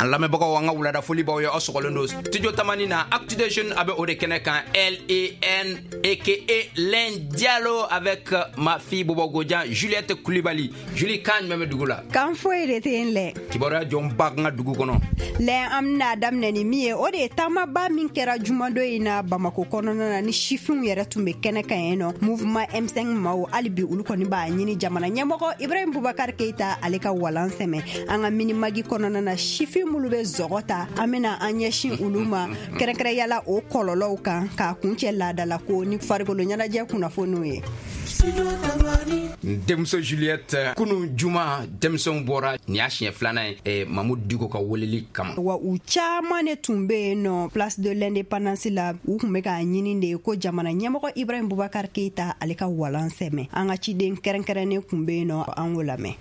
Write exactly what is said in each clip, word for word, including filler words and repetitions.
An lamɛnbagaw, an ka wulada foli b'aw ye. Aw sɔgɔlen don Studio Tamani na. Actu des Jeunes a bɛ o de kɛnɛ kan, L E N aka Len Diallo avec ma fille Bobo Godian, Juliette Coulibaly. Julie, kan jumɛn bɛ dugu la? Kan foyi de tɛ yen lɛ. Kibaruya jɔn ba n ka dugu kɔnɔ? Lɛ, an bɛna daminɛ ni min ye, o de ye taamaba min kɛra jumadon in na Bamako kɔnɔna na, ni sifinw yɛrɛ tun bɛ kɛnɛ kan yen nɔ. Mouvement M cinq maaw, hali bi olu kɔni b'a ɲini jamana ɲɛmɔgɔ Ibrahim Bubakar Keita, ale ka walan sɛmɛ. An ka Mini Mag kɔnɔna na, sifin minnu bɛ zɔgɔ ta, an bɛna an ɲɛsin olu ma kɛrɛnkɛrɛnyala, o kɔlɔlɔw kan, k'a kuncɛ laadala ko ni farikolo ɲɛnajɛ kunnafoniw ye. N denmuso Juliette, kunu juma denmisɛnw bɔra, nin y'a siɲɛ filanan ye eh, Mamudu Diko ka weleli kama. Wa u caaman de tun be yen nɔ Place de l'Indépendance la. U tun be k'a ɲini de ko jamana ɲɛmɔgɔ Ibrahim Bubakar Keita, ale ka walan sɛmɛ. An ka ciden kɛrɛnkɛrɛnnen kun be yen nɔ, an k'o lamɛn.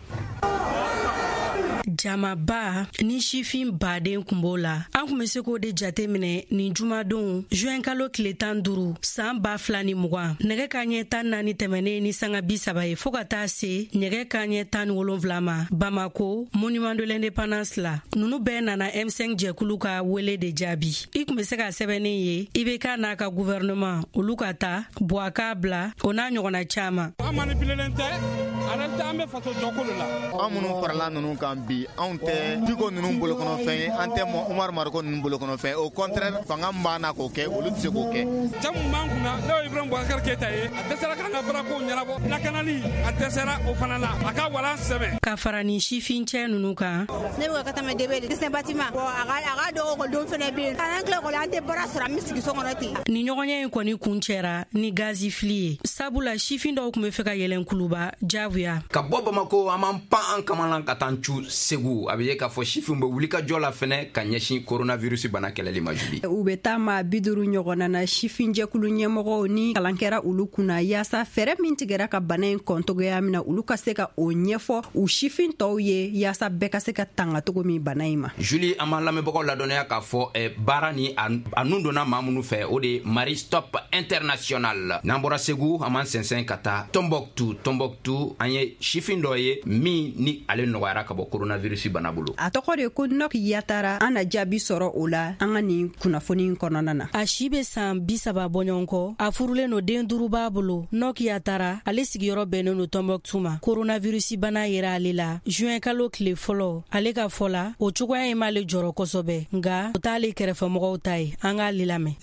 Jamaba ni sifin baden kun b'o la, an kun be se k'o de jate minɛ nin jumadon juin kalo tile tan duru saan ba fila ni mugan, nɛgɛ ka ɲɛ tan naani tɛmɛnen ni sanga bi saba ye, fɔɔ ka taa se nɛgɛ ka ɲɛ tan ni wolonfila ma Bamako Monument de l'Indépendance la. Nunu bɛɛ nana M cinq jɛkulu ka wele de jaabi. I kun be se ka sɛbɛnnen ye I B K n'a ka gouvernement, olu ka ta buwa k'a bila, o n'a ɲɔgɔnna caaman. An manipulelen tɛ. En réalité, an bɛ faso jɔko de la. An minnu farala ninnu kan bi, anw tɛ Diko ninnu bolokɔnɔfɛn ye, an tɛ Umaru Mariko ninnu bolokɔnɔfɛn. Au contraire, fanga min b'an na k'o kɛ, olu tɛ se k'o kɛ. Cɛ mun b'an kunna, n'o ye Ibrahim Boubacar Keita ye, a dɛsɛra k'an ka baarakow ɲɛnabɔ. Lakanali, a dɛsɛra o fana la. A ka walan sɛmɛ. Ka fara nin sifincɛ nunu kan. Ne bɛ ka tɛmɛ debe de dessin bâtiment. Bon, a ka a ka dɔgɔ ekɔlidenw fana bɛ yen. An tila ekɔli, an tɛ baara sɔrɔ, an bɛ sigi so kɔnɔ ten. Ni ɲɔgɔnya in kɔni kun cɛra ni gazi fili ye, sabula sifin dɔw tun be fɛ ka yɛlɛn kuluba jagoya. Ka bɔ Bamako, an b'an pan an kamalan ka taa cu Segu. A bɛ ye k'a fɔ sifinw bɛ wulikajɔ la fɛnɛ ka ɲɛsin coronavirus bana kɛlɛli ma, Juli. U bɛ taa maa bi duuru ɲɔgɔnna na, sifinjɛkulu ɲɛmɔgɔw ni kalan kɛra olu kunna, yaasa fɛɛrɛ min tigɛra ka bana in kɔntogoya min na, olu ka se ka o ɲɛfɔ u sifin tɔw ye, yaasa bɛɛ ka se ka tanga cogo min bana in ma. Juli, an b'an lamɛnbagaw ladɔnniya k'a fɔ eh, baara ni a a nun donna maa minnu fɛ, o de ye Marie Stop International. N'an bɔra Segu, an b'an sɛnsɛn ka taa Tombouctou. Tombouctou, an ye sifin dɔ ye min ni ale nɔgɔyara ka bɔ coronavirus bana bolo. A tɔgɔ de ko Nok Yatara. An na jaabi sɔrɔ o la an ka nin kunnafoni kɔnɔna na. A si be san bi saba bɔɲɔgɔn kɔ, a furulen no, den duru b'a bolo. Nok Yatara, ale sigiyɔrɔ bɛnnen no Tɔnbɔkutu ma. Koronavirusi bana yera ale la juin kalo tile fɔlɔ. Ale ka fɔ la, o cogoya in m'ale jɔrɔ kosɛbɛ, nga o t'ale kɛrɛfɛmɔgɔw ta ye. An k'ale lamɛn.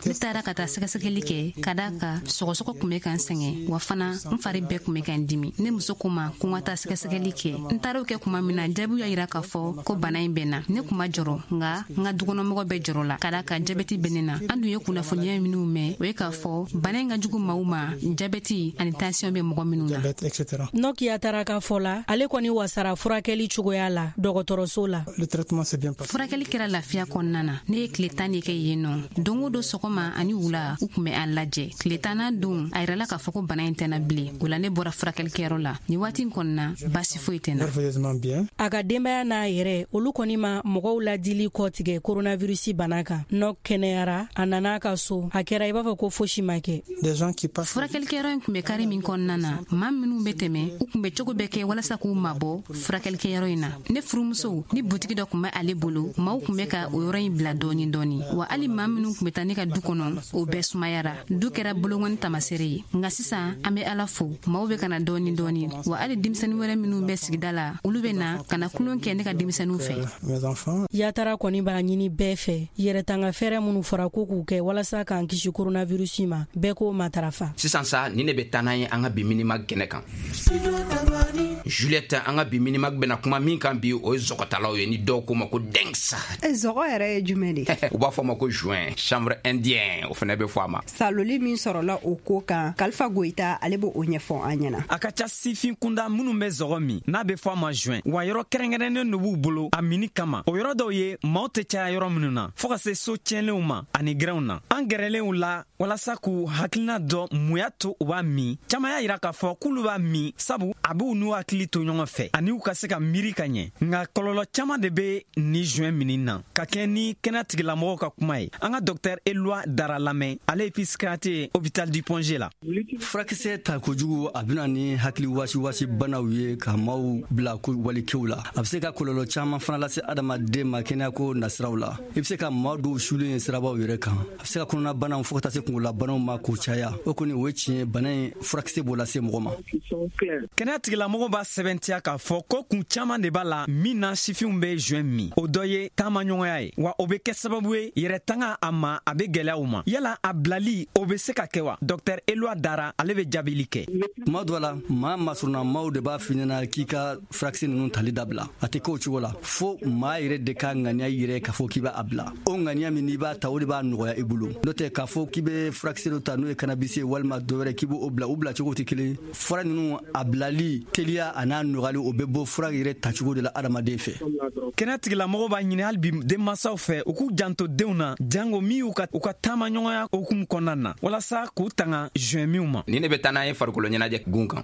Ne taara ka taa sɛgɛsɛgɛli kɛ ka da kan sɔgɔsɔgɔ kun bɛ ka n sɛgɛn, wa fana n fari bɛɛ kun bɛ ka n dimi. Ne muso ko ma ko n ka taa sɛgɛsɛgɛli kɛ. N taara o kɛ kuma min na, jaabiw y'a yira k'a fɔ ko bana in bɛ na. Ne kun ma jɔrɔ, nga n ka dukɔnɔmɔgɔ bɛɛ jɔrɔ la, ka da kan jabɛti bɛ ne na. An dun ye kunnafoniya minnu mɛn, o ye k'a fɔ bana in ka jugu maaw ma, jabɛti ani tansiyɔn bɛ mɔgɔ minnu na. Nok Yatara ka fɔ la, ale kɔni wasara furakɛli cogoya la dɔgɔtɔrɔso la. Furakɛli kɛra lafiya kɔnɔna na. Ne ye tile tan de kɛ yen nɔ. Don o don sɔgɔma ani wula, u kun bɛ an lajɛ. Tile tannan don, a yirala k'a fɔ ko bana in tɛna bilen. O la ne bɔra furakɛlikɛyɔrɔ la. Nin waati in kɔnɔna, basi foyi tɛ na. A ka denbaya n'a yɛrɛ, olu kɔni ma mɔgɔw ladili kɔtigɛ koronavirusi bana kan. Nɔ kɛnɛyara, a nana a ka so, a kɛra i b'a fɔ ko fosi ma kɛ. Furakɛlikɛyɔrɔ in kun bɛ kari min kɔnɔna na, maa minnu bɛ tɛmɛ, u kun bɛ cogo bɛɛ kɛ walasa k'u mabɔ furakɛlikɛyɔrɔ in na. Ne furumuso ni butigi dɔ kun bɛ ale bolo, maaw kun bɛ ka o yɔrɔ in bila dɔɔni dɔɔni. Wa hali maa minnu kun bɛ taa ne ka du kɔnɔ, o bɛɛ sumayara. Du kɛra bolonkɔni tamasere ye. Nka sisan, an bɛ Ala fo, maaw bɛ ka na dɔɔni dɔɔni. Wa hali denmisɛnnin wɛrɛ minnu bɛ sigida la, olu bɛ na ka na kulon kɛ ne ka denmisɛnninw fɛ. Yatara kɔni b'a ɲini bɛɛ fɛ, yɛrɛtanga fɛɛrɛ minnu fɔra ko k'u kɛ walasa k'an kisi koronavirusi ma, bɛɛ k'o matarafa. Sisan sa, nin de bɛ taa n'an ye an ka bi Mini Mag kɛnɛ kan. Juliette, an ka bi Mini Mag bɛna kuma min kan bi, o ye zɔgɔtalaw ye, ni dɔw ko ma ko dengs. Zɔgɔ yɛrɛ ye jumɛn de? U b'a fɔ a ma ko joint, chanvre indien, o fɛnɛ bɛ fɔ a ma. Saloli min sɔrɔla o ko kan, Kalifa Goyita, ale b'o ɲɛfɔ an ɲɛna. A ka ca sifin kunda minnu bɛ zɔgɔ min n'a bɛ fɔ a ma joint, wa yɔrɔ kɛrɛnkɛrɛnnen dɔ b'u bolo a mini kama. O yɔrɔ dɔw ye maaw tɛ caya yɔrɔ minnu na, fɔɔ ka se so tiɲɛlenw ma ani gɛrɛnw na. An gɛrɛlenw la walasa k'u hakilina dɔ mun y'a to u b'a min, caaman y'a yira k'a fɔ k'olu b'a min sabu a b'u n'u hakili to ɲɔgɔn fɛ ani u ka se ka miiri ka ɲɛ. Nka kɔlɔlɔ caaman de be ni joint mini na. Ka kɛ ni kɛnɛya tigilamɔgɔw ka kuma ye, an ka docteur Eloi Dara lamɛn, ale ye psychiatre ye hôpital du Point G la. Furakisɛ ta kojugu, a bena ni ni hakili wasiwasi banaw ye ka maaw bila ko walikew la. A bɛ se ka kɔlɔlɔ caman fana lase adamaden ma kɛnɛyako nasiraw la. I bɛ se ka maa dɔw sulen ye sirabaw yɛrɛ kan. A bɛ se ka kɔnɔnabanaw fo ka taa se kunkololabanaw ma k'o caya. O kɔni o ye tiɲɛ ye, bana in furakisɛ b'o lase mɔgɔ ma. Kɛnɛya tigilamɔgɔw b'a sɛbɛntiya k'a fɔ ko kun caman de b'a la min na sifinw bɛ joint min. O dɔ ye taamaɲɔgɔnya ye, wa o bɛ kɛ sababu ye yɛrɛ tanga a ma, a bɛ gɛlɛya u ma. Yala a bilali o bɛ se ka kɛ wa? Docteur Eloi Dara ale bɛ jaabili kɛ. Tuma dɔ la, maa masurunna de b'a f'i ɲɛna k'i ka furakisɛ ninnu tali dabila. A tɛ k'o cogo la, fo maa yɛrɛ de ka ŋaniya yɛrɛ k'a fɔ k'i b'a bila. O ŋaniya min n'i b'a ta, o de b'a nɔgɔya i bolo. N'o tɛ k'a fɔ k'i bɛ furakisɛ dɔ ta n'o ye cannabis ye walima dɔ wɛrɛ k'i b'o bila, o bila cogo tɛ kelen. Fura ninnu a bilali teliya a n'a nɔgɔyali, o bɛ bɔ fura yɛrɛ tacogo de la adamaden fɛ. Kɛnɛya tigilamɔgɔw b'a ɲini hali bi denmansaw fɛ u k'u janto denw na, jango min y'u ka u ka taamaɲɔgɔnya hukumu kɔnɔna na, walasa k'u tanga joint minw ma. Ni ne bɛ taa n'a ye farikolo ɲɛnajɛ gun kan.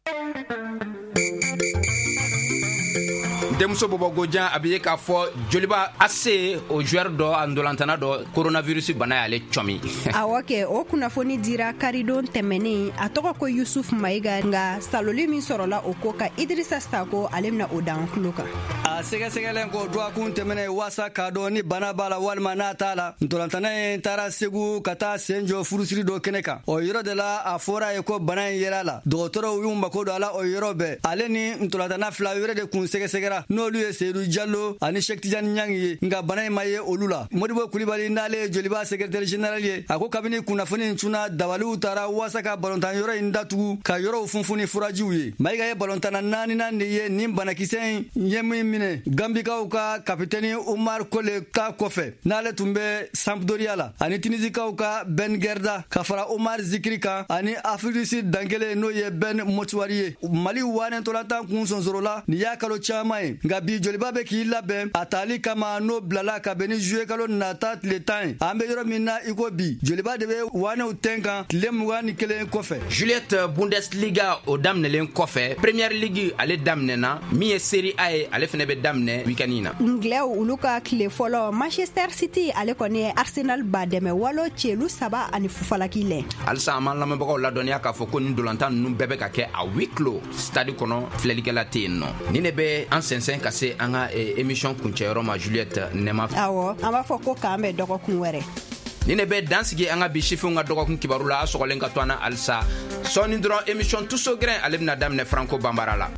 Denmuso bɔbɔ gojan a bɛ ye k'a fɔ Joliba A C o joueur dɔ a ndolantana dɔ coronavirus bana y'ale cɔmi. Awɔ kɛ, o kunnafoni dira karidon tɛmɛnen. A tɔgɔ ko Yusuf Mayiga, nka saloli min sɔrɔla o ko kan, Idrissa Sako ale bɛna o d'an tulo kan. A sɛgɛsɛgɛlen kɔ dɔgɔkun tɛmɛnen waasa k'a dɔn ni bana b'a la walima n'a t'a la, ntolantana in taara Segu ka taa sen jɔ furusiri dɔ kɛnɛ kan. O yɔrɔ de la a fɔra ye ko bana in yera la. Dɔgɔtɔrɔw y'u mako don a la o yɔrɔ bɛɛ. Ale ni ntolantana fila wɛrɛ de kun sɛgɛsɛgɛra, n'olu ye Seydou Diallo ani Cheikh Tidiane Niang ye, nka bana in ma ye olu la. Modibo Kulibali n'ale ye Joliba secrétaire général ye, a ko kabini kunnafoni in cunna, dabaliw taara waasa ka balontan yɔrɔ in datugu ka yɔrɔw funfun ni furajiw ye. Mayiga ye balontana naaninan de ye nin banakisɛ in ye min minɛ Gambikaw ka kapitɛni Umar Kole ta kɔfɛ, n'ale tun bɛ Sampdoria la, ani Tunisikaw ka Ben Gerda ka fara Omar Zikiri kan, ani Afrique du Sud dankelen n'o ye Ben Motuari ye. Mali wanen tolatan kun sonsorola nin y'a kalo caman ye, nka bi Joliba bɛ k'i labɛn a tali kama n'o bilala ka bɛn ni juillet kalo nata tile tan ye. An bɛ yɔrɔ min na i ko bi, Joliba de bɛ wanew tɛn kan tile mugan ni kelen kɔfɛ. Juliette, Bundesliga o daminɛlen kɔfɛ, Premier League ale daminɛna, min ye Serie A ye ale fɛnɛ bɛ daminɛ week-end in na. Anglais olu ka tile fɔlɔ, Manchester City ale kɔni ye Arsenal ba dɛmɛ walo celu saba ani fufalaki lɛ. Halisa an b'an lamɛnbagaw ladɔnniya k'a fɔ ko nin dolantan ninnu bɛɛ bɛ ka kɛ a huis clos stade kɔnɔ, filɛlikɛla tɛ yen nɔ. Ni ne bɛ an sɛnsɛn ka se an ka émission kuncɛyɔrɔ ma, Juliette Nɛma. Awɔ, an b'a fɔ ko k'an bɛn dɔgɔkun wɛrɛ. Ni ne bɛ dan sigi an ka bi sifinw ka dɔgɔkun kibaru la, a sɔgɔlen ka to an na halisa. Sɔɔni dɔrɔn émission Tuso Grin ale bɛna daminɛ Franco Banbara la.